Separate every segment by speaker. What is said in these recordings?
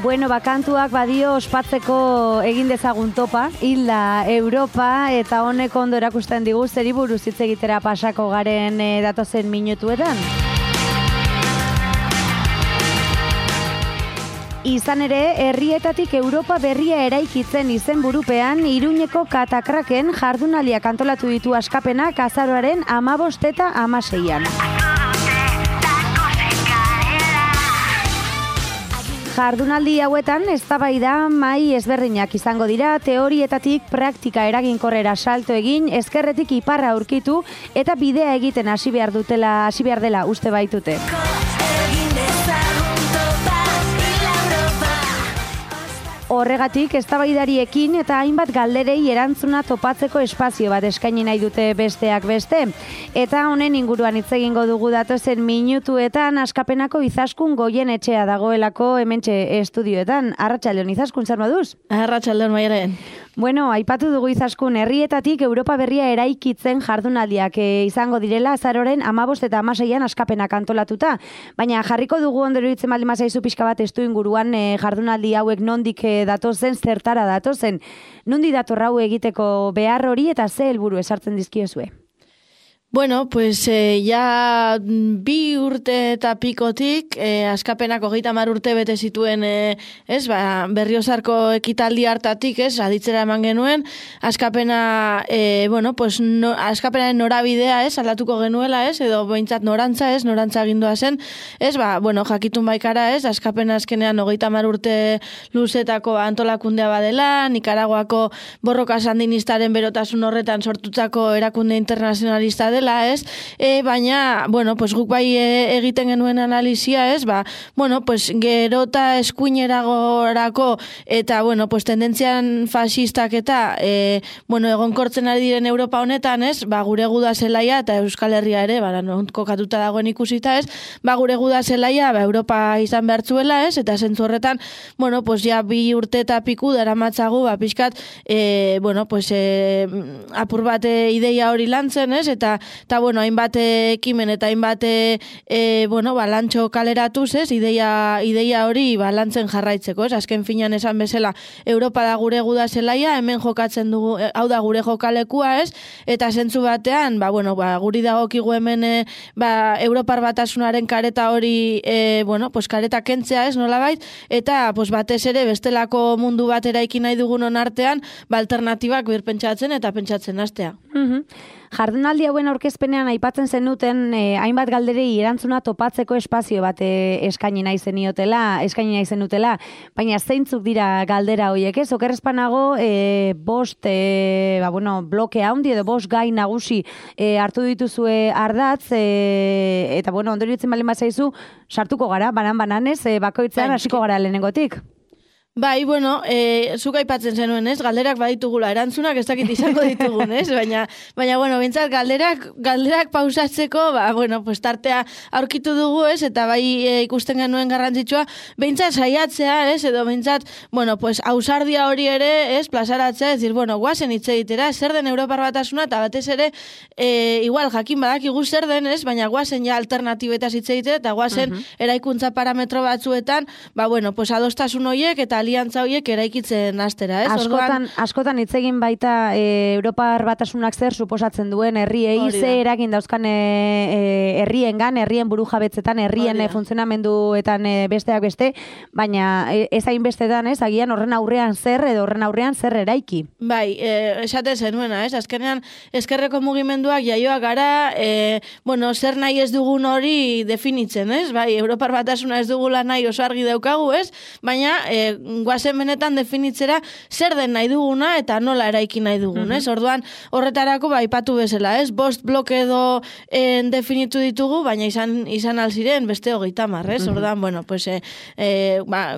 Speaker 1: Bueno, bakantuak badio ospatzeko egin dezagun topa, hilda Europa, eta honek ondo erakusten digu zeri buruz hitz egitera pasako garen datozen minutuetan. Izan ere, herrietatik Europa berria eraikitzen izenburupean, Iruñeko Katakraken jardunaldiak antolatu ditu askapenak azaroaren 15 eta 16an. Jardunaldi hauetan eztabaida mahai ezberdinak izango dira, teorietatik praktika eraginkorrera salto egin, ezkerretik iparra aurkitu eta bidea egiten hasi behar dela uste baitute. Horregatik, eztabaidariekin eta hainbat galderei erantzuna topatzeko espazio bat eskaini nahi dute besteak beste. Eta honen inguruan hitz egingo dugu datozen minutuetan askapenako Izaskun Goienetxea dagoelako hementxe estudioetan. Arratsaldeon Izaskun, zer moduz?
Speaker 2: Arratsaldeon Maialen.
Speaker 1: Bueno, aipatu dugu Izaskun, herrietatik Europa berria eraikitzen jardunaldiak izango direla azaroren 15 eta 16an askapenak antolatuta. Baina jarriko dugu ondo iruditzen baldin bazaizu pixka bat estu inguruan jardunaldi hauek nondik datozen, zertara datozen. Nondi dator hau egiteko behar hori eta ze helburu esartzen dizkiozue?
Speaker 2: Bueno, pues ya 2 urte eta pikotik, askapenak 30 urte bete zituen, Berriozarko ekitaldi hartatik, aditzera eman genuen, askapena, askapenaren norabidea, aldatuko genuela, edo behintzat norantza agindua zen, jakitun baikara, askapena azkenean 30 urte luzetako antolakundea badela, Nikaraguako borroka sandinistaren berotasun horretan sortutzako erakunde internazionalista dela, baina, guk bai egiten genuen analizia, gerota eskuineragorako eta, tendentzian fasistak eta, egonkortzen ari diren Europa honetan, gure guda zelaia eta Euskal Herria ere, kokatuta dagoen ikusita, gure guda zelaia, Europa izan behartzuela, eta zentzu horretan, ja 2 urte eta piku daramatzagu, pixkat, apur bat ideia hori lantzen, eta hainbat ekimen eta hainbat lantxo kaleratuz, ideia hori lantzen jarraitzeko, azken finean esan bezala Europa da gure guda zelaia, hemen jokatzen dugu, hau da gure jokalekua, eta zentzu batean, guri dagokigu hemen Europar Batasunaren kareta hori, kareta kentzea, nolabait, eta batez ere bestelako mundu bat eraiki nahi dugunon artean, alternatibak birpentsatzen eta pentsatzen hastea.
Speaker 1: Jardunaldi hauen aurkezpenean aipatzen zenuten hainbat galderei erantzuna topatzeko espazio bat eskaini nahi zenutela, baina zeintzuk dira galdera horiek, okerrezpanago bost bloke handi edo bost gai nagusi hartu dituzue ardatz, eta ondo iruditzen baldin bazaizu sartuko gara, banan bakoitzean hasiko gara lehenengotik.
Speaker 2: Bai, zuk aipatzen zenuen, galderak baditugula, erantzunak ez dakit izango ditugun, baina, bintzat, galderak pausatzeko, tartea aurkitu dugu, eta bai ikusten genuen garrantzitsua, bintzat saiatzea, edo bintzat, ausardia hori ere, plazaratzea, guazen hitz egitera, zer den Europar Batasuna, eta batez ere, igual, jakin badakigu zer den, baina guazen ja alternatibetaz hitz egitera, eta guazen eraikuntza parametro batzuetan, adostasun horiek, eta aliantza horiek eraikitzen hastera,
Speaker 1: Askotan hitz egin baita Europar Batasunak zer suposatzen duen herriei, ze eragin dauzkan herriengan, herrien burujabetzetan, herrien funtzionamenduetan besteak beste, baina ez hainbestetan, agian horren aurrean zer edo horren aurrean zer eraiki.
Speaker 2: Bai, esate zenuena, azkenean ezkerreko mugimenduak jaioak gara, zer nahi ez dugun hori definitzen, bai, Europar Batasuna ez dugula nahi oso argi daukagu, baina guazen benetan definitzera zer den nahi duguna eta nola eraiki nahi dugun, Orduan, horretarako aipatu bezala, bost bloke edo definitu ditugu, baina izan alziren beste 30, Orduan,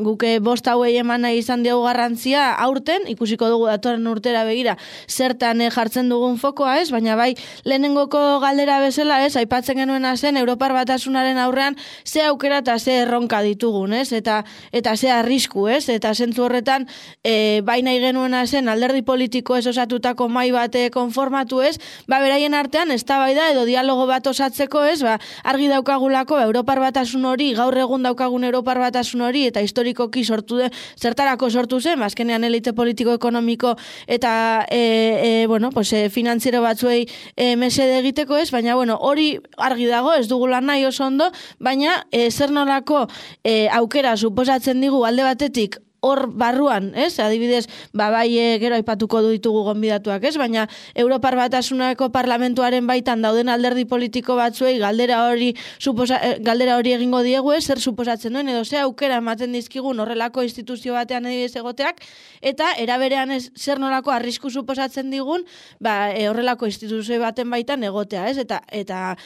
Speaker 2: guke bost hauei eman nahi izan diogu garrantzia aurten, ikusiko dugu datorren urtera begira zertan jartzen dugun fokoa, baina bai, lehenengoko galdera bezala, aipatzen genuena zen Europar Batasunaren aurrean ze aukera eta ze erronka ditugun, eta ze arrisku, eta eta zentzu horretan, bai nahi genuena zen alderdi politiko ez osatutako mai bat konformatu ez, beraien artean eztabaida edo dialogo bat osatzeko ez, argi daukagulako Europar Batasun hori, gaur egun daukagun Europar Batasun hori, eta historikoki zertarako sortu zen, azkenean elite politiko-ekonomiko eta finantziero batzuei mesede egiteko ez, baina hori argi dago, ez dugula nahi oso ondo, baina zer nolako aukera suposatzen digu alde batetik hor barruan, ez? Adibidez, bai gero aipatuko ditugu gonbidatuak, ez? Baina Europar Batasuneko parlamentuaren baitan dauden alderdi politiko batzuei galdera hori egingo diegu, ez? Zer suposatzen duen edo ze aukera ematen dizkigun horrelako instituzio batean egoteak, eta eraberean zer nolako arrisku suposatzen digun, horrelako instituzio baten baitan egotea, ez? Eta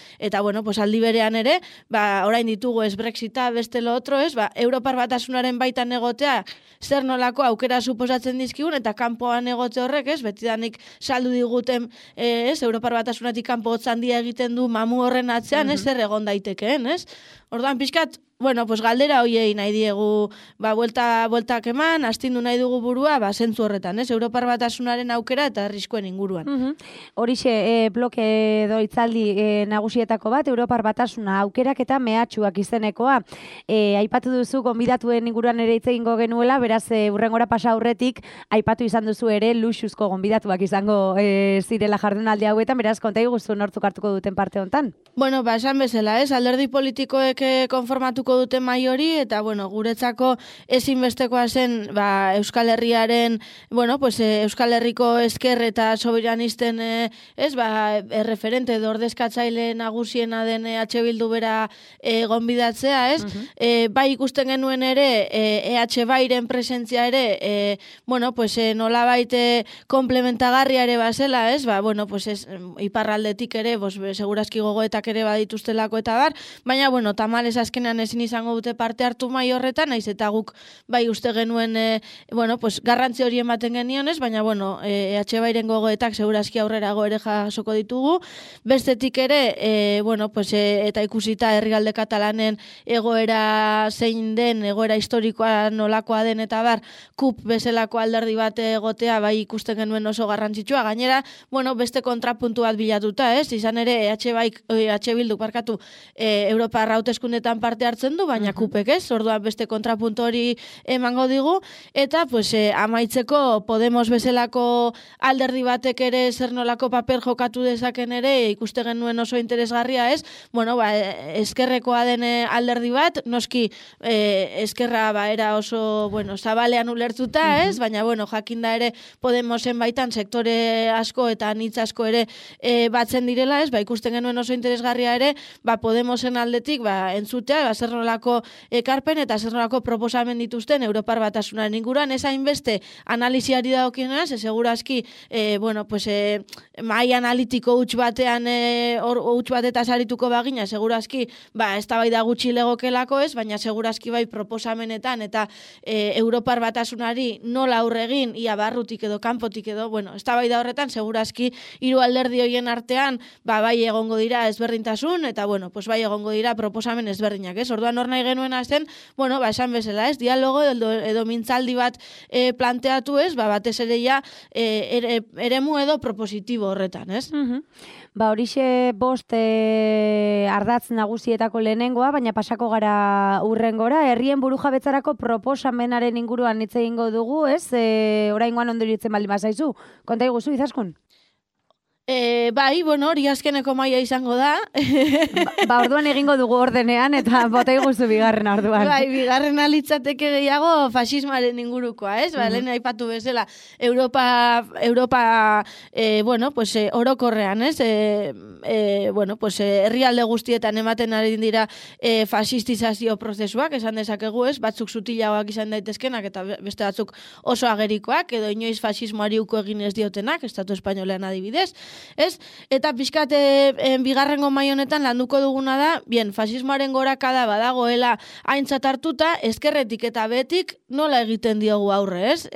Speaker 2: aldi berean ere, orain ditugu ez Brexita, beste lo otro, ez? Europar Batasunaren baitan egotea zer nolako aukera suposatzen dizkigun, eta kanpoan egote horrek, ez, betidanik saldu diguten, ez, Europar Batasunetik kanpo hotz handia egiten du mamu horren atzean, ez, zer egon daitekeen, ez? Orduan, pixkat, galdera hoiei nahi diegu, bueltak eman, astindu nahi dugu burua, zentzu horretan, ez, Europar Batasunaren aukera eta arriskuen inguruan.
Speaker 1: Horixe, bloke edo hitzaldi nagusietako bat, Europar Batasuna aukerak eta mehatxuak izenekoa. Aipatu duzu, gonbidatuen inguruan ere hitz egingo genuela, beraz, hurrengora pasa aurretik, aipatu izan duzu ere, luxuzko gonbidatuak izango zirela jardunaldi hauetan, beraz, konta iguzu nortzuk hartuko duten parte hontan.
Speaker 2: Esan bezala, ez, alderdi politikoek konformatuko dute mai hori, eta, guretzako ezinbestekoa zen, Euskal Herriaren, Euskal Herriko ezker eta soberanisten, referente edo ordezkatzaile nagusiena den EH Bildu bera gonbidatzea, ez? Bai ikusten genuen ere, EH Bairen presentzia ere, nolabait komplementagarria ere bazela, ez? Iparraldetik ere, segurazki gogoetak ere badituztelako eta bar, baina, tamalez azkenean ezin izango dute parte hartu mai horretan, naiz eta guk bai uste genuen garrantzi hori ematen genionez, baina EH Bairen gogoetak segurazki aurrerago ere jasoko ditugu. Bestetik ere, eta ikusita herrialde katalanen egoera zein den, egoera historikoa nolakoa den eta bar, KUP bezalako alderdi bat egotea bai ikusten genuen oso garrantzitsua. Gainera, beste kontrapuntu bat bilatuta, ez? Izan ere EH Bildu Europar hauteskundetan parte hartzen du, baina KUPek ez, orduan beste kontrapuntu hori emango digu, eta amaitzeko Podemos bezalako alderdi batek ere zer nolako paper jokatu dezaken ere, ikuste genuen oso interesgarria ez, eskerrekoa den alderdi bat, noski eskerra era oso, zabalean ulertuta ez, baina jakinda ere Podemosen baitan sektore asko eta anitz asko ere batzen direla ez, ikusten genuen oso interesgarria ere, Podemosen aldetik entzutea, zer nolako ekarpen eta zer nolako proposamen dituzten Europar Batasunaren inguruan, ez hainbeste analiziari daukionaz, segurazki, mai analitiko huts batean, huts batetaz arituko bagina, segurazki, eztabaida gutxi legokelako ez, baina segurazki bai proposamenetan eta Europar Batasunari nola aurre egin, ia barrutik edo kanpotik edo, eztabaida horretan, segurazki hiru alderdi horien artean, bai egongo dira ezberdintasun, eta bai egongo dira proposamen ezberdinak, ez? Orduan hor nahi genuena zen, esan bezala, ez? Dialogo edo mintzaldi bat planteatu, ez? Batez ere ja eremu edo propositibo horretan, ez?
Speaker 1: Horixe bost ardatz nagusietako lehenengoa, baina pasako gara hurrengora, herrien burujabetzarako proposamenaren inguruan hitz egingo dugu, ez? Oraingoan ondo iruditzen baldin bazaizu. Konta iguzu, Izaskun?
Speaker 2: Hori azkeneko maila izango da.
Speaker 1: Orduan egingo dugu ordenean, eta bota iguzu bigarren orduan.
Speaker 2: Bigarren alitzateke gehiago fasismaren ingurukoa, ez? Lehen aipatu bezala, Europa orokorrean, ez? Herrialde guztietan ematen ari dira fasistizazio prozesuak, esan dezakegu, ez? Batzuk sutilagoak izan daitezkenak, eta beste batzuk oso agerikoak, edo inoiz fasismoari uko egin ez diotenak, Estatu Espainolean adibidez. ez? Eta pixkat bigarrengo mai honetan landuko duguna da, bien, fasismoaren gorakada badagoela aintzat hartuta, ezkerretik eta betik nola egiten diogu aurre, ez?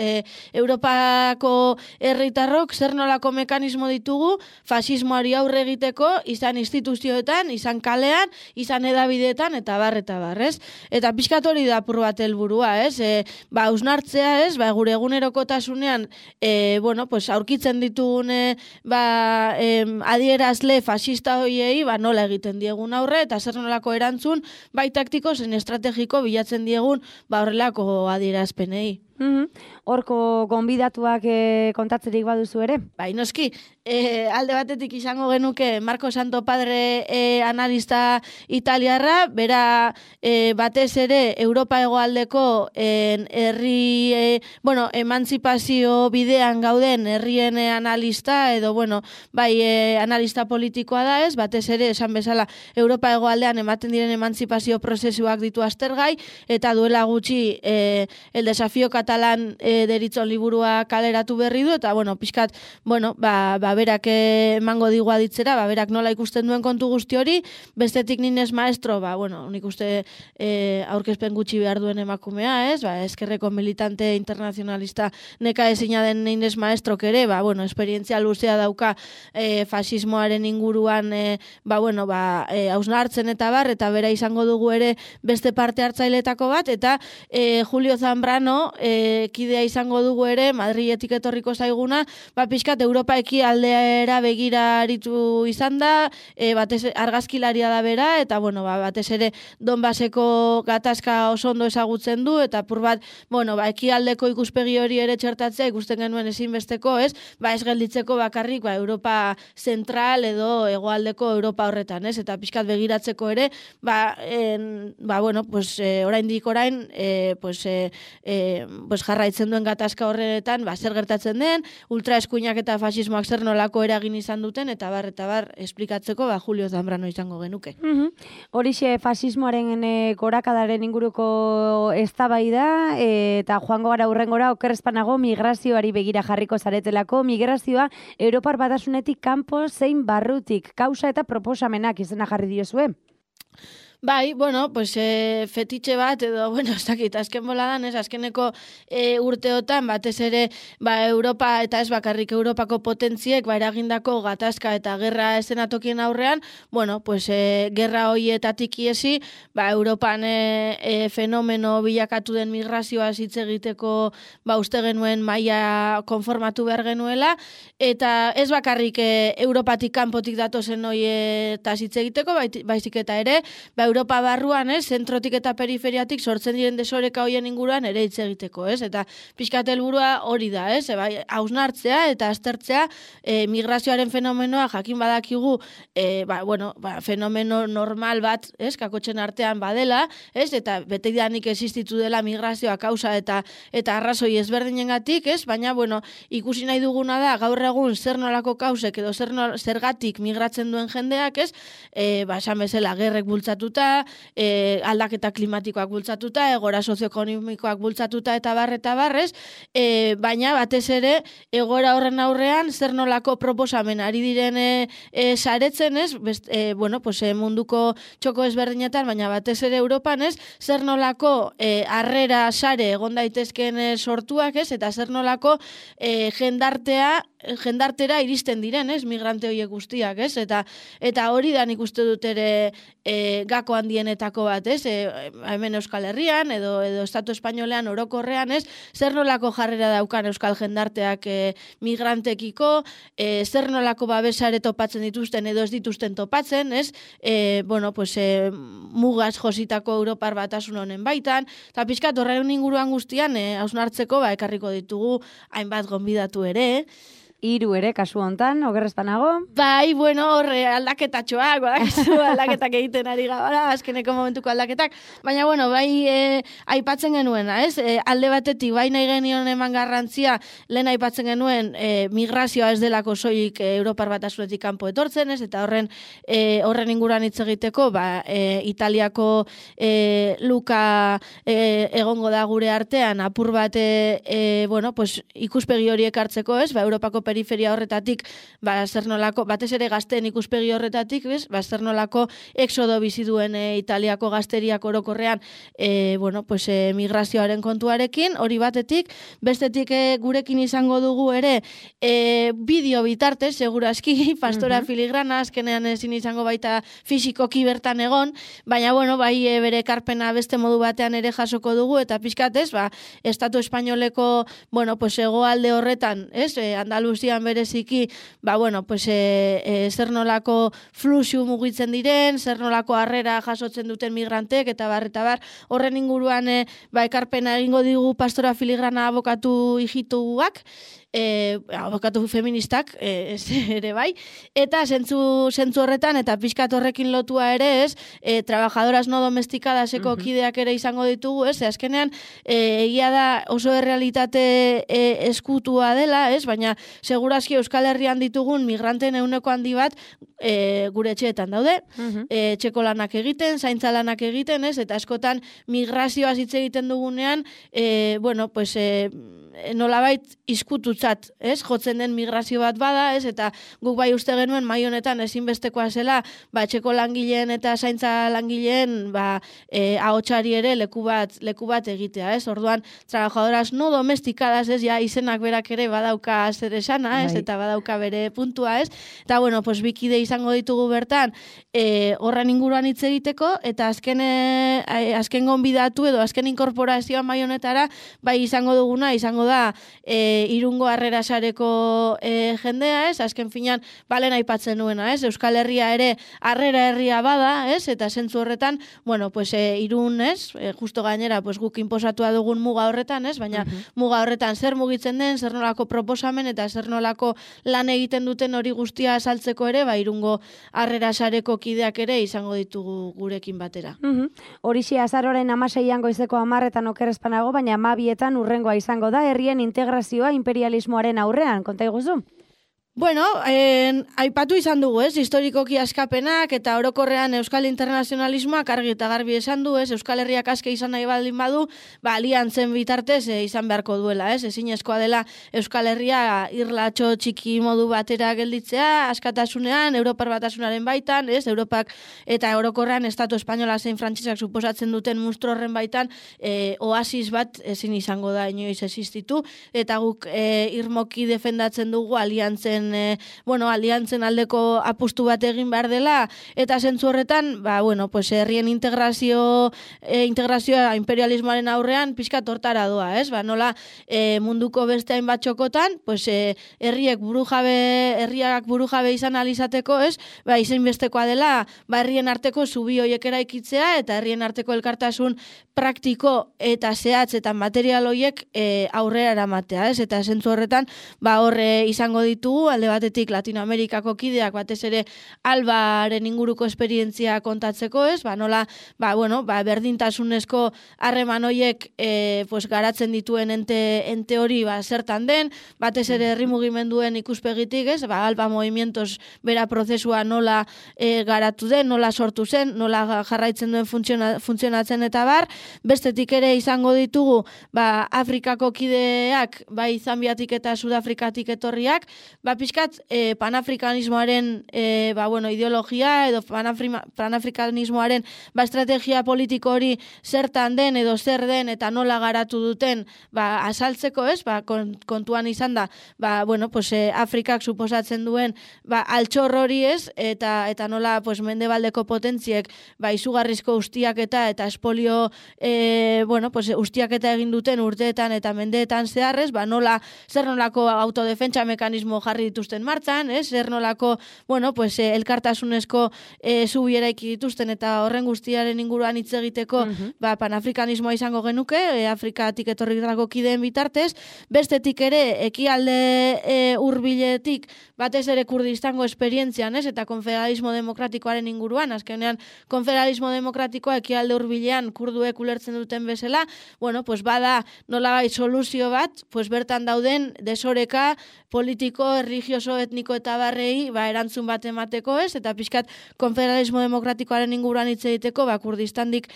Speaker 2: Europako herritarrok zer nolako mekanismo ditugu fasismoari aurre egiteko, izan instituzioetan, izan kalean, izan edabideetan, eta bar, ez? Eta pixkat hori da apur bat helburua, ez? Hausnartzea, ez? Gure egunerokotasunean, pues, aurkitzen ditugun adierazle fasista hoiei, nola egiten diegun aurre, eta zer nolako erantzun, bai taktiko, zen estrategiko bilatzen diegun, horrelako adierazpenei.
Speaker 1: Horko gonbidatuak kontatzerik baduzu ere?
Speaker 2: Bai, noski, alde batetik izango genuke Marco Santo Padre analista italiarra, bera batez ere Europa hegoaldeko herri, emantzipazio bidean gauden herrien analista, edo, analista politikoa da ez, batez ere, esan bezala, Europa hegoaldean ematen diren emantzipazio prozesuak ditu aztergai, eta duela gutxi el desafío catalán deritzon liburua kaleratu berri du, eta, pixkat, berak emango digu aditzera, berak nola ikusten duen kontu guzti hori, bestetik ninez maestro, nik uste aurkezpen gutxi behar duen emakumea, ez? Eskerreko militante internazionalista neka ezina den ninez maestro kere, esperientzia luzea dauka fasismoaren inguruan, hausnartzen eta bar, eta bera izango dugu ere beste parte hartzailetako bat, eta Julio Zambrano kidea izango dugu ere, Madriletik etorriko zaiguna, pixkat Europa ekialdeera begira aritu izan da, batez argazkilaria da bera, eta batez ere Donbaseko gatazka oso ondo ezagutzen du, eta apur bat, ekialdeko ikuspegi hori ere txertatzea ikusten genuen ezinbesteko, ez? Ez gelditzeko bakarrik, Europa zentral edo hegoaldeko Europa horretan, ez? Eta pixkat begiratzeko ere, oraindik orain, jarraitzen duen gatazka horretan, zer gertatzen den, ultraeskuinak eta fasismoak zer nolako eragin izan duten, eta bar, esplikatzeko, Julio Zambrano izango genuke.
Speaker 1: Horixe fasismoaren gorakadaren inguruko eztabaida, eta joango gara hurrengora okerrezpanago migrazioari begira jarriko zaretelako, migrazioa Europar Batasunetik kanpo zein barrutik, kausa eta proposamenak izena jarri diozue.
Speaker 2: Bai, fetitxe bat, edo, ez dakit, azken boladan, azkeneko urteotan, batez ere, Europa, eta ez bakarrik Europako potentziek, eragindako gatazka eta gerra estenatokien aurrean, gerra hoietatik iesi, Europan fenomeno bilakatu den migrazioa hitz egiteko, uste genuen maila konformatu behar genuela, eta ez bakarrik Europatik kanpotik datozen hoietaz hitz egiteko, baizik eta ere, Europa barruan, zentrotik eta periferiatik sortzen diren desoreka hoien inguruan ere hitz egiteko, ez? Eta pixkat helburua hori da, ez? Hausnartzea eta aztertzea migrazioaren fenomenoa jakin badakigu, fenomeno normal bat, ez? Kakotxen artean badela, ez? Eta beteidanik existitu dela migrazioa kausa eta arrazoi ezberdinengatik, ez? Baina, ikusi nahi duguna da, gaur egun zer nolako kausek edo zergatik migratzen duen jendeak, ez? Esan bezala, gerrek bultzatuta, aldaketa klimatikoak bultzatuta, egoera sozioekonomikoak bultzatuta eta barrez, baina batez ere egoera horren aurrean zer nolako proposamen ari diren saretzen, ez? Munduko txoko ezberdinetan, baina batez ere Europan, ez? Zer nolako harrera sare egon daitezken sortuak, ez? Eta zer nolako jendartera iristen diren, ez? Migrante horiek guztiak, ez? Eta hori da nik uste dut ere gako handienetako bat, ez? Hemen Euskal Herrian edo Estatu Espainolean orokorrean, ez? Zer nolako jarrera daukan euskal jendarteak migrantekiko, zer nolako babesare topatzen dituzten edo ez dituzten topatzen, ez? Mugaz jositako Europar Batasun honen baitan, eta pixkat horren inguruan guztian hausnartzeko ekarriko ditugu hainbat gonbidatu ere,
Speaker 1: 3 ere, kasu hontan, okerrezpanago.
Speaker 2: Bai, horre aldaketatxoak, aldaketak egiten ari gara, azkeneko momentuko aldaketak. Baina, bai aipatzen genuena, ez? Alde batetik, bai nahi genion eman garrantzia, lehen aipatzen genuen migrazioa ez delako soilik Europar Batasunetik kanpo etortzen, ez? Eta horren inguruan hitz egiteko, Italiako luka egongo da gure artean, apur bat, ikuspegi horiek hartzeko, ez? Europako periferia horretatik, zer nolako, batez ere gazteen ikuspegi horretatik, zer nolako exodo bizi duen Italiako gazteriak orokorrean, migrazioaren kontuarekin, hori batetik, bestetik gurekin izango dugu ere, bideo bitartez, segurazki, Pastora Filigrana, azkenean ezin izango baita fisikoki bertan egon, baina, bai bere ekarpena beste modu batean ere jasoko dugu, eta pixkatez, Estatu Espainoleko, hegoalde horretan, Andaluzian bereziki, zer nolako fluxu mugitzen diren, zer nolako harrera jasotzen duten migrantek, eta bar, horren inguruan ekarpena egingo digu Pastora Filigrana abokatu hijituak, abokatu feministak, ere bai, eta zentzu horretan, eta pixkat horrekin lotua ere, trabajadoras no domestikadaseko kideak ere izango ditugu, azkenean, egia da oso errealitate eskutua dela, baina segurazki Euskal Herrian ditugun migranten ehuneko handi bat gure etxeetan daude, etxeko lanak egiten, zaintza lanak egiten, eta askotan migrazioaz hitz egiten dugunean, nolabait izkututzat, jotzen den migrazio bat bada, eta guk bai uste genuen mai honetan ezinbestekoa zela, etxeko langileen eta zaintza langileen ahotsari ere leku bat egitea, orduan trabajadoras no domestikadas, izenak berak ere badauka zer esana, eta badauka bere puntua, eta bikide izango ditugu bertan horren inguruan hitz egiteko, eta azken gonbidatu edo azken inkorporazioa mai honetara, bai izango duguna, izango da Irungo Harrera Sareko jendea, azken finan balen aipatzen nuena, Euskal Herria ere harrera herria bada, eta zentzu horretan, Irun, justo gainera, guk inposatua dugun muga horretan, baina muga horretan zer mugitzen den, zer nolako proposamen eta zer nolako lan egiten duten hori guztia azaltzeko ere, Irungo Harrera Sareko kideak ere izango ditugu gurekin batera.
Speaker 1: Horixe azaroren 16an goizeko 10etan okerrezpanago, baina 12etan urrengoa izango da, herrien integrazioa imperialismoaren aurrean, konta iguzu?
Speaker 2: Aipatu izan dugu, historikoki askapenak eta orokorrean Euskal Internazionalismoak argi eta garbi esan du, Euskal Herriak aske izan nahi baldin badu, aliantzen bitartez izan beharko duela, ezinezkoa dela Euskal Herria irlatxo txiki modu batera gelditzea, askatasunean, Europar Batasunaren baitan, Europak eta orokorrean Estatu Espainola zein frantsesak suposatzen duten munstro horren baitan, oasis bat ezin izango da inoiz existitu, eta guk irmoki defendatzen dugu aliantzen aldeko apustu bat egin behar dela, eta zentzu horretan, herrien integrazioa imperialismoaren aurrean pixka tortara doa, nola munduko beste hainbat txokotan, herriak burujabe izan alizateko, izen bestekoa dela, herrien arteko zubi hoiek eraikitzea, eta herrien arteko elkartasun praktiko eta zehatz eta material hoiek aurrera eramatea, eta zentzu horretan, horre izango ditugu, alde batetik Latinoamerikako kideak batez ere albaren inguruko esperientzia kontatzeko, nola berdintasunezko harreman hoiek garatzen dituen ente hori zertan den, batez ere herri mugimenduen ikuspegitik, alba movimientos bera prozesua nola garatu den, nola sortu zen, nola jarraitzen duen funtzionatzen eta bar, bestetik ere izango ditugu Afrikako kideak, bai Zambiatik eta Sudafrikatik etorriak, pixkat panafrikanismoaren ideologia edo panafrikanismoaren estrategia politiko hori zertan den edo zer den eta nola garatu duten azaltzeko, kontuan izan da, Afrikak suposatzen duen altxor hori eta nola mendebaldeko potentziek izugarrizko ustiaketa eta espolio ustiaketa egin duten urteetan eta mendeetan zeharrez, zer nolako autodefentsa mekanismo jarri dituzten martzan, zer nolako, elkartasunezko zubi eraiki dituzten eta horren guztiaren inguruan hitz egiteko panafrikanismoa izango genuke, Afrikatik etorritako kideen bitartez, bestetik ere ekialde hurbiletik batez ere Kurdistango esperientzian, eta konfederalismo demokratikoaren inguruan, azkenean konfederalismo demokratikoa ekialde hurbilean kurduek ulertzen duten bezala, bada nolabait soluzio bat, bertan dauden desoreka politiko herri religioso, etniko eta barrei erantzun bat emateko, ez? Eta pixkat konfederalismo demokratikoaren inguruan hitz egiteko, Kurdistandik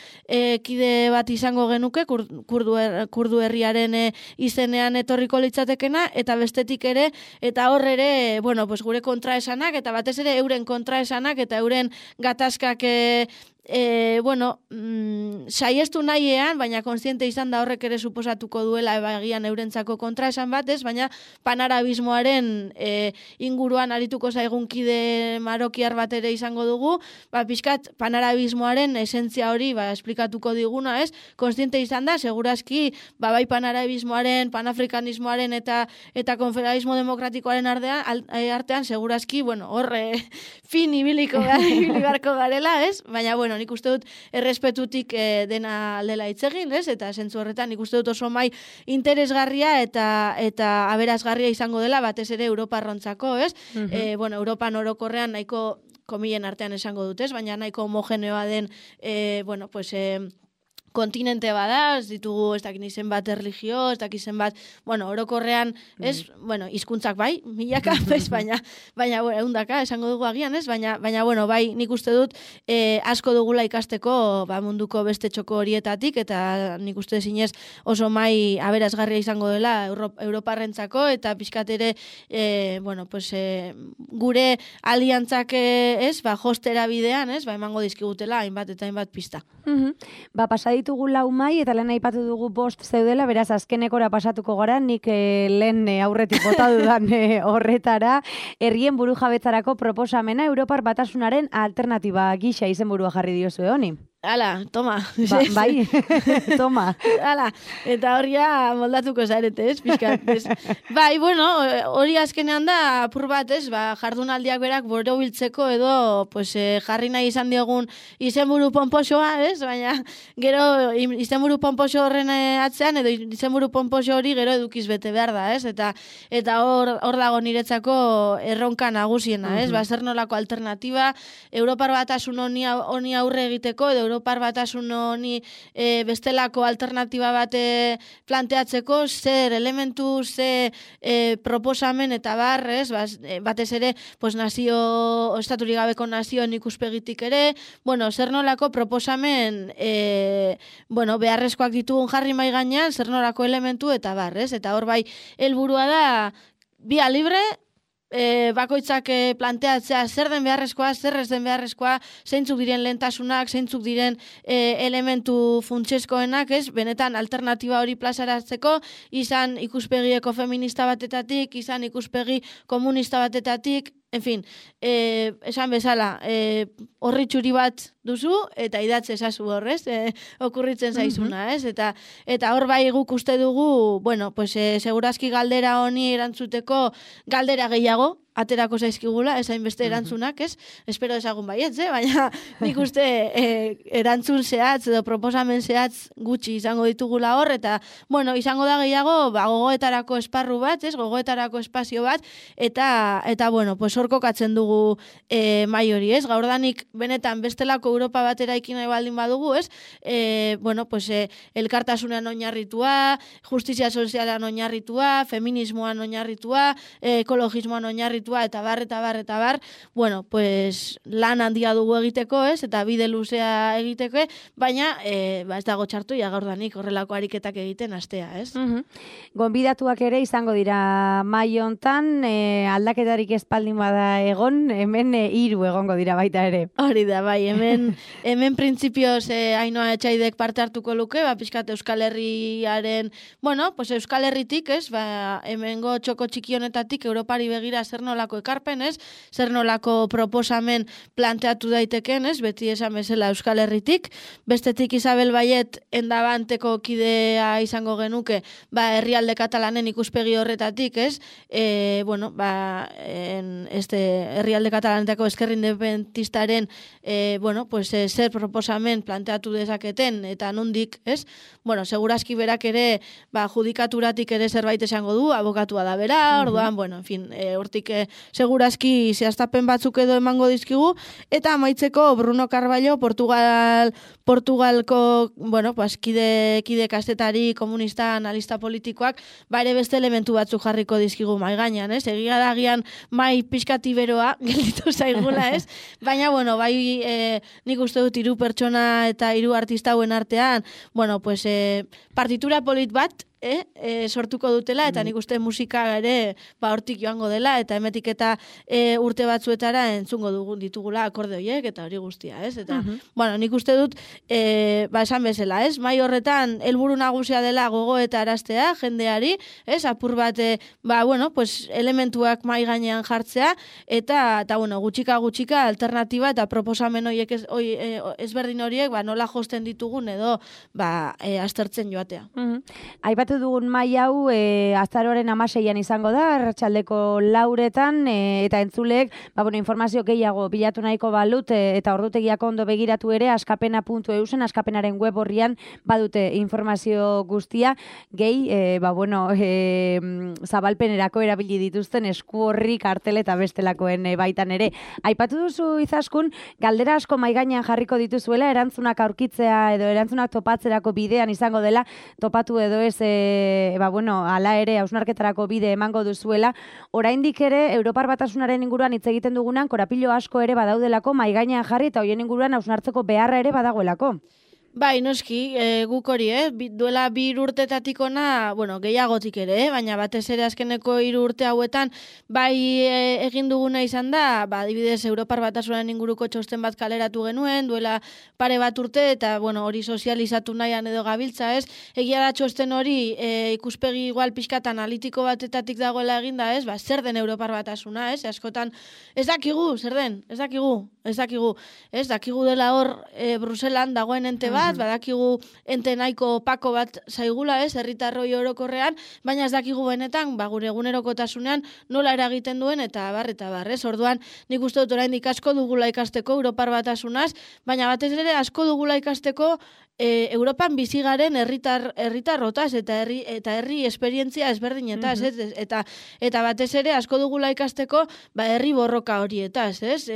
Speaker 2: kide bat izango genuke, kurdu herriaren izenean etorriko litzatekena, eta bestetik ere, eta hor ere, bueno, pues gure kontraesanak, eta batez ere euren kontraesanak, eta euren gatazkak saiestu nahiean, baina kontziente izan da horrek ere suposatuko duela ebagian eurentzako kontraesan batez, baina panarabismoaren inguruan arituko zaigun kide marokiar bat ere izango dugu, pixkat panarabismoaren esentzia hori esplikatuko diguna, ez? Kontziente izan da, segurazki, bai panarabismoaren, panafrikanismoaren eta konfederalismo demokratikoaren artean, segurazki, horre fin ibiliko beharko garela, ez? Baina, nik uste dut errespetutik dena lela hitz egin, ez? Eta zentzu horretan nik uste dut oso mai interesgarria eta aberasgarria izango dela, batez ere Europarrontzako, ez? Europan orokorrean nahiko komilen artean esango dut, ez? Baina nahiko homogeneoa den, kontinente bada, ez ditugu ez dakin izen bat erlijio, ez dakin izen bat, orokorrean, ez, hizkuntzak bai, milaka, baina, eundaka, esango dugu agian, ez, baina, bai, nik uste dut, asko dugula ikasteko, munduko beste txoko horietatik, eta nik uste zinez oso mai aberasgarria izango dela Europarrentzako, eta pixkat ere, gure aliantzak, ez, jostera bidean, ez, emango dizkigutela, hainbat eta hainbat pista.
Speaker 1: Pasa ditugu 4 mai eta lehen aipatu dugu 5 zeudela, beraz azkenekora pasatuko gara, nik lehen aurretik bota dudan horretara, herrien burujabetzarako proposamena Europar Batasunaren alternatiba gisa izenburua jarri diozu honi.
Speaker 2: Hala, toma.
Speaker 1: Bai, toma.
Speaker 2: Hala, eta horria moldatuko zarete, ez, pixkat, ez. Bai, hori azkenean da, apur bat, ez, jardunaldiak berak borobiltzeko edo, jarri nahi izan diogun izenburu ponposoa, ez, baina gero izenburu ponposo horren atzean, edo izenburu ponposo hori gero edukiz bete behar da, ez, eta hor dago niretzako erronka nagusiena, ez, zer nolako alternatiba, Europar Batasun honi aurre egiteko, edo Europar Batasun honi bestelako alternatiba bat planteatzeko, zer elementu, zer proposamen eta barrez, batez ere, nazio, estaturik gabeko nazioen ikuspegitik ere, zer nolako proposamen beharrezkoak ditugun jarri mai gainean, zer nolako elementu eta barrez, eta hor bai, helburua da, via libre, bakoitzak planteatzea zer den beharrezkoa, zer ez den beharrezkoa, zeintzuk diren lehentasunak, zeintzuk diren elementu funtsezkoenak, ez? Benetan alternatiba hori plazaratzeko, izan ikuspegi ekofeminista batetatik, izan ikuspegi komunista batetatik, en fin, esan bezala, horri txuri bat duzu, eta idatze ezazu horrez, okurritzen zaizuna, ez? Eta hor bai guk uste dugu, segurazki galdera honi erantzuteko galdera gehiago, aterako zaizkigula, esain beste erantzunak, ez? Espero ezagun baietz, baina nik uste erantzun zehatz edo proposamen zehatz gutxi izango ditugula hor, eta, izango da gehiago, gogoetarako esparru bat, ez? Gogoetarako espazio bat, eta hor kokatzen dugu mai hori, ez? Gaurdanik benetan bestelako Europa batera ikin nahi baldin badugu, ez? Elkartasunean oinarritua, justizia sozialan oinarritua, feminismoan oinarritua, ekologismoan oinarritua, eta bar, lan handia dugu egiteko, ez? Eta bide luzea egiteko, baina ez dago txartu, gaurdanik horrelako ariketak egiten astea, ez?
Speaker 1: Gonbidatuak ere izango dira mai hontan, aldaketarik espaldin bada egon, hemen 3 egongo dira baita ere.
Speaker 2: Hori da, bai, hemen printzipioz Ainhoa Etxaidek parte hartuko luke, pixkat Euskal Herriaren, Euskal Herritik, ez? Hemengo txoko txiki honetatik Europari begira zer nolako ekarpen, ez? Zer nolako proposamen planteatu daiteken, ez? Beti esan bezala Euskal Herritik. Bestetik Isabel Baiet endabanteko kidea izango genuke, herrialde katalanen ikuspegi horretatik, ez? Herrialde katalanetako ezker independentistaren zer proposamen planteatu dezaketen, eta nondik, ez? Segurazki berak ere, judikaturatik ere zerbait esango du, abokatua da bera, orduan, hortik segurazki zehaztapen batzuk edo emango dizkigu, eta amaitzeko Bruno Carballo, Portugalko, bueno, pues, kide kastetari, komunista, analista politikoak, bare beste elementu batzuk jarriko dizkigu mai gainean, ez? Egia da agian mai pixkati beroa gelditu zaigula, ez? Baina, bueno, bai nik uste dut 3 pertsona eta 3 artista hauen artean, bueno, pues, partitura polit bat, sortuko dutela, eta nik uste musika ere hortik joango dela, eta emetik eta urte batzuetara entzungo dugun ditugula akorde horiek, eta hori guztia, ez? Eta, bueno, nik uste dut, esan bezala, ez? Mai horretan, helburu nagusia dela gogo eta araztea, jendeari, ez? Apur bat, bueno, pues, elementuak mai gainean jartzea, eta bueno, gutxika alternatiba eta proposamen horiek ezberdin horiek, nola josten ditugun edo, aztertzen joatea.
Speaker 1: Aipatu dugun mai hau azaroaren 16an izango da, arratsaldeko 4etan, eta entzuleek, bueno, informazio gehiago bilatu nahiko balut, eta ordutegiak ondo begiratu ere, askapena.eusen, askapenaren web horrian badute informazio guztia, gehi, bueno, zabalpenerako erabili dituzten esku horri kartel eta bestelakoen baitan ere. Aipatu duzu Izaskun, galdera asko mai gainean jarriko dituzuela, erantzunak aurkitzea edo erantzunak topatzerako bidean izango dela, topatu edo ez bueno, ala ere hausnarketarako bide emango duzuela, oraindik ere Europar Batasunaren inguruan hitz egiten dugunan korapilo asko ere badaudelako mai gainean jarri eta hoien inguruan hausnartzeko beharra ere badagoelako.
Speaker 2: Bai, noski, guk hori, duela 2 urtetatik ona, bueno, gehiagotik ere, baina batez ere azkeneko 3 urte hauetan, bai egin duguna izan da, adibidez Europar Batasunaren inguruko txosten bat kaleratu genuen, duela pare bat urte, eta, bueno, hori sozializatu nahian edo gabiltza, ez? Egia da txosten hori ikuspegi igual pixkat analitiko batetatik dagoela eginda, ez? Zer den Europar Batasuna, ez? Askotan, ez dakigu, zer den? Ez dakigu dela hor Bruselan dagoen ente bat, badakigu ente nahiko opako bat zaigula, ez, herritarroi orokorrean, baina ez dakigu benetan, gure egunerokotasunean nola eragiten duen, eta bar, ez, orduan, nik uste dut oraindik asko dugula ikasteko Europar Batasunaz, baina batez ere asko dugula ikasteko Europan bizigaren herritarrotaz eta herri esperientzia ezberdinetaz, eta batez ere asko dugula ikasteko herri borroka horietaz, ez?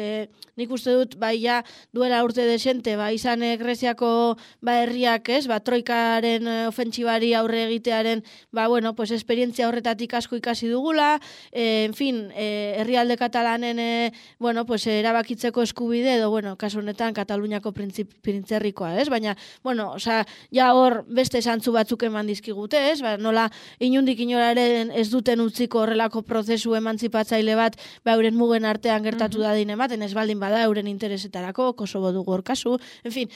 Speaker 2: Nik uste dut ja duela urte desente izan Greziako herriak, ez? Troikaren ofentsibari aurre egitearen bueno, pues esperientzia horretatik asko ikasi dugula, en fin, herrialde katalanen bueno, pues erabakitzeko eskubide edo bueno, kasu honetan Kataluniako printzerrikoa, ez? Baina bueno, osea, ja hor beste zantzu batzuk eman dizkigute, ez? Nola inundik inoraren ez duten utziko horrelako prozesu emantzipatzaile bat, euren mugen artean gertatu dadin ematen, ez baldin bada euren interesetarako, Kosovo dugu hor kasu, en fin,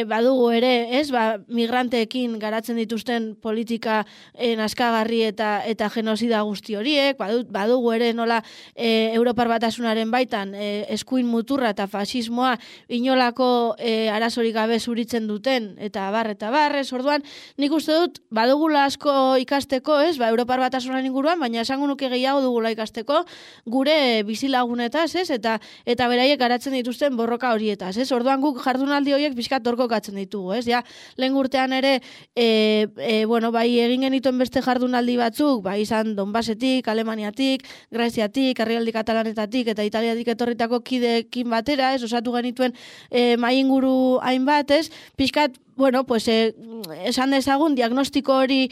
Speaker 2: badugu ere, ez? Migranteekin garatzen dituzten politika naskagarri eta genozida guzti horiek, badugu ere nola Europar Batasunaren baitan eskuin muturra eta fasismoa inolako arazorik gabe zuritzen duten eta bar, orduan, nik uste dut, badugula asko ikasteko, ez, Europar Batasunaren inguruan, baina esango nuke gehiago dugula ikasteko, gure bizilagunetaz, ez, eta beraiek garatzen dituzten borroka horietaz, ez, orduan guk jardunaldi horiek pixkat torkokatzen ditugu, ez, ja, lehen urtean ere, bueno, egin genituen beste jardunaldi batzuk, izan Donbasetik, Alemaniatik, Greziatik, herrialde katalanetatik, eta Italiatik etorritako kideekin batera, ez, osatu genituen mai inguru hainbat, ez, pixkat, bueno, pues esan dezagun diagnostiko hori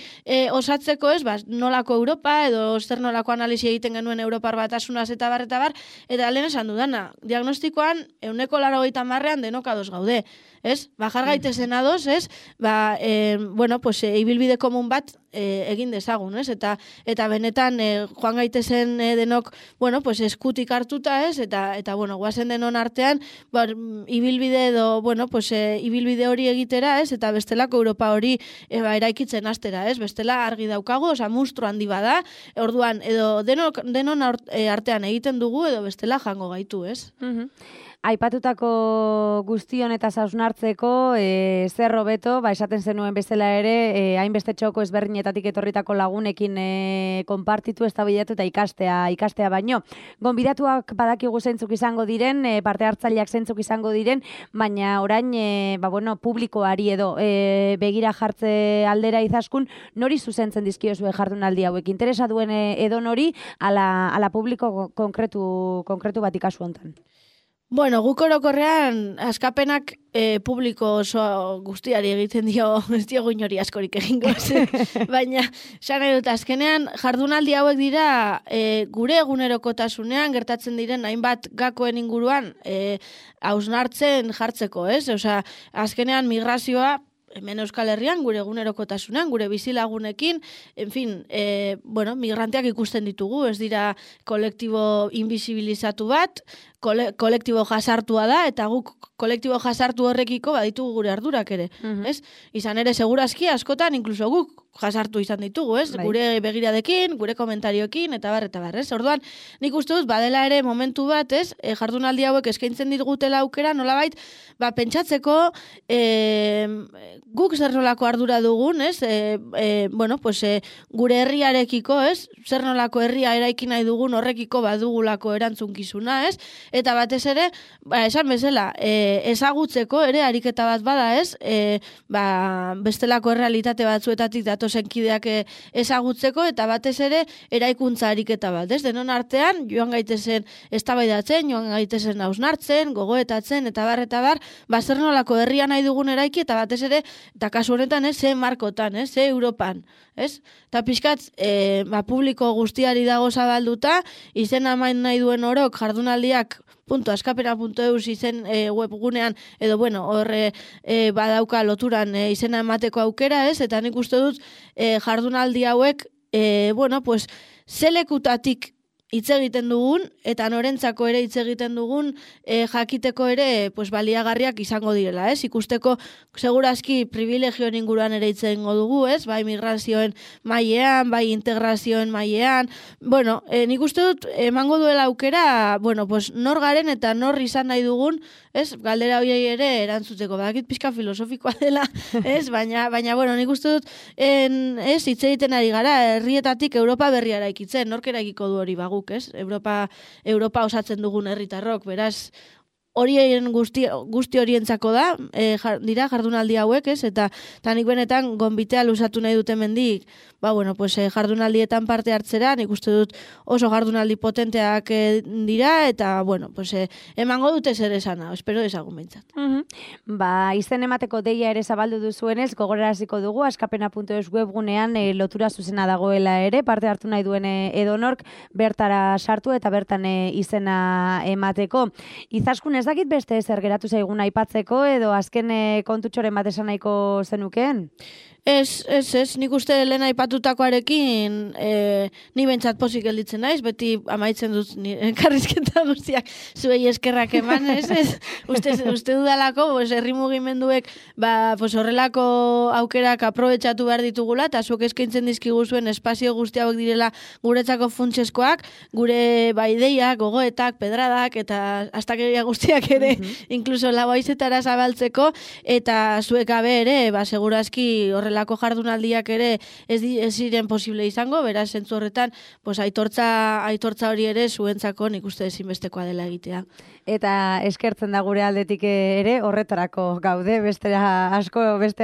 Speaker 2: osatzeko, ez, nolako Europa edo zer nolako analisi egiten genuen Europar Batasunaz eta bar, eta lehen esan dudana, diagnostikoan 80%an denok ados gaude, ez? Jar gaitezen ados, ez? Bueno, pues ibilbide komun bat egin dezagun, ez? Eta benetan joan gaitezen denok, bueno, pues eskutik hartuta, ez? Eta bueno, guazen denon artean, ibilbide edo, bueno, pues ibilbide hori egitera, ez? Eta bestelako Europa hori eraikitzen hastera, ez? Bestela argi daukago, oza, munstru handi bada, orduan, edo denon artean egiten dugu, edo bestela jango gaitu, ez?
Speaker 1: aipatutako guztion eta hausnartzeko zer hobeto, esaten zenuen bezala ere, hainbeste txoko ezberdinetatik etorritako lagunekin konpartitu, eztabaidatu eta ikastea baino. Gonbidatuak badakigu zeintzuk izango diren, parte hartzaileak zeintzuk izango diren, baina orain publikoari edo begira jartze aldera Izaskun, nori zuzentzen dizkiozue jardunaldi hauek? Interesa duen edo nori ala publiko konkretu bat kasu hontan?
Speaker 2: Bueno, guk orokorrean askapenak publiko oso guztiari egiten dio, ez diogu inori askorik egingo, baina esan nahi dut, azkenean jardunaldi hauek dira gure egunerokotasunean gertatzen diren hainbat gakoen inguruan hausnartzen jartzeko, ez? Osea, azkenean migrazioa hemen Euskal Herrian, gure egunerokotasunean, gure bizilagunekin, en fin, migranteak ikusten ditugu, ez dira kolektibo invisibilizatu bat, kolektibo jasartua da, eta guk kolektibo jasartu horrekiko baditugu gure ardurak ere, ez? Izan ere, segurazki askotan, inkluso guk jasartu izan ditugu, ez? Bai. Gure begiradekin, gure komentarioekin, eta bar, ez? Orduan, nik uste dut, badela ere momentu bat, ez? Jardunaldi hauek eskaintzen ditugutela aukera, nolabait, pentsatzeko guk zer nolako ardura dugun, ez? Gure herriarekiko, ez? Zer nolako herria eraiki nahi dugun horrekiko badugulako erantzunkizuna, ez? Eta batez ere, esan bezala, ezagutzeko ere ariketa bat bada, ez? Bestelako errealitate batzuetatik datozen kideak ezagutzeko, eta batez ere eraikuntza ariketa bat, ez? Denon artean, joan gaitezen eztabaidatzen, joan gaitezen hausnartzen, gogoetatzen, eta bar, zer nolako herria nahi dugun eraiki, eta batez ere, eta kasu honetan, ze markotan, ze Europan, ez? Eta pixkat, publiko guztiari dago zabalduta, izena main nahi duen orok jardunaldiak .askapena.eus izen webgunean, edo horre badauka loturan izena emateko aukera, ez? Eta nik uste dut jardunaldi hauek, zelekutatik hitz egiten dugun, eta norentzako ere hitz egiten dugun, jakiteko ere baliagarriak izango direla, ez? Ikusteko, segurazki, privilegioen inguruan ere hitz egingo dugu, ez? Bai migrazioen mailean, bai integrazioen mailean. Nik uste dut, emango duela aukera, nor garen eta nor izan nahi dugun, ez? Galdera horiei ere erantzuteko. Badakit pixka filosofikoa dela, ez? Baina, nik uste dut, hitz egiten ari gara, herrietatik Europa berria eraikitzen, nork eraikiko du hori bagu, ez? Europa osatzen dugun herritarrok, beraz, horien guzti horientzako da, dira jardunaldi hauek, ez? Eta nik benetan gonbitea luzatu nahi dute mendik, jardunaldietan parte hartzera, nik uste dut oso jardunaldi potenteak dira, eta, emango dute zer esana, espero ezagun behintzat.
Speaker 1: Izen emateko deia ere zabaldu duzuenez, gogoraraziko dugu, askapena.eus webgunean lotura zuzena dagoela ere, parte hartu nahi duen edonork bertara sartu eta bertan izena emateko. Izaskun ez dakit beste zer geratu zaigun aipatzeko, edo azken kontutxoren bat esan nahiko zenukeen?
Speaker 2: Ez, nik uste lehen aipatutakoarekin ni bentsat pozik gelditzen naiz, beti amaitzen dut karrizketa guztiak zuei eskerrak eman, ez? Uste dudalako, herri mugimenduek horrelako aukerak aprobetxatu behar ditugula, eta zuek eskaintzen dizkigu zuen espazio guzti hauek direla guretzako funtseskoak, gure ideiak, gogoetak, pedradak, eta astakeria guztiak ere, inkluso laboaizetara zabaltzeko, eta zuek gabe ere, segurazki horrelako jardunaldiak ere ez ziren posible izango, beraz, zentzu horretan, aitortza hori ere zuentzako nik uste ezinbestekoa dela egitea.
Speaker 1: Eta eskertzen da gure aldetik ere horretarako gaude, beste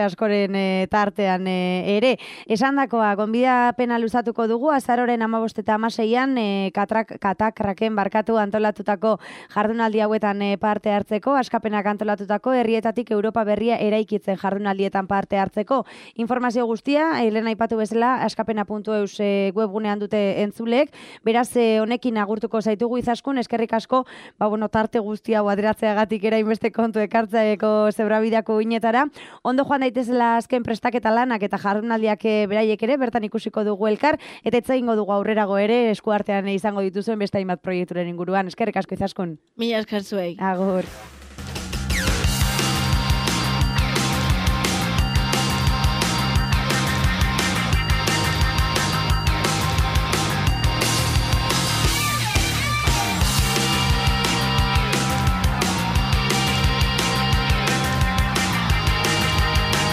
Speaker 1: askoren tartean ere. Esandakoa, gonbidapena luzatuko dugu, azaroren 15 eta 16an katakraken barkatu antolatutako jardunaldi hauetan parte hartzeko, askapenak antolatutako herrietatik Europa berria eraikitzen jardunaldietan parte hartzeko. Informazio guztia, lehen aipatu bezala, askapena.eus webgunean dute entzulek, beraz honekin agurtuko zaitugu Izaskun, eskerrik asko, tarte guztia hau aderatzeagatik erainbeste kontu ekartzaeko zebrabideako inetara. Ondo joan daitezela azken prestaketa lanak eta jardunaldiak beraiek ere, bertan ikusiko dugu elkar, eta etzaingo dugu aurrerago ere, eskuartean izango dituzuen beste hainbat proiekturen inguruan. Eskerrik asko Izaskun.
Speaker 2: Mila esker zuei.
Speaker 1: Agur.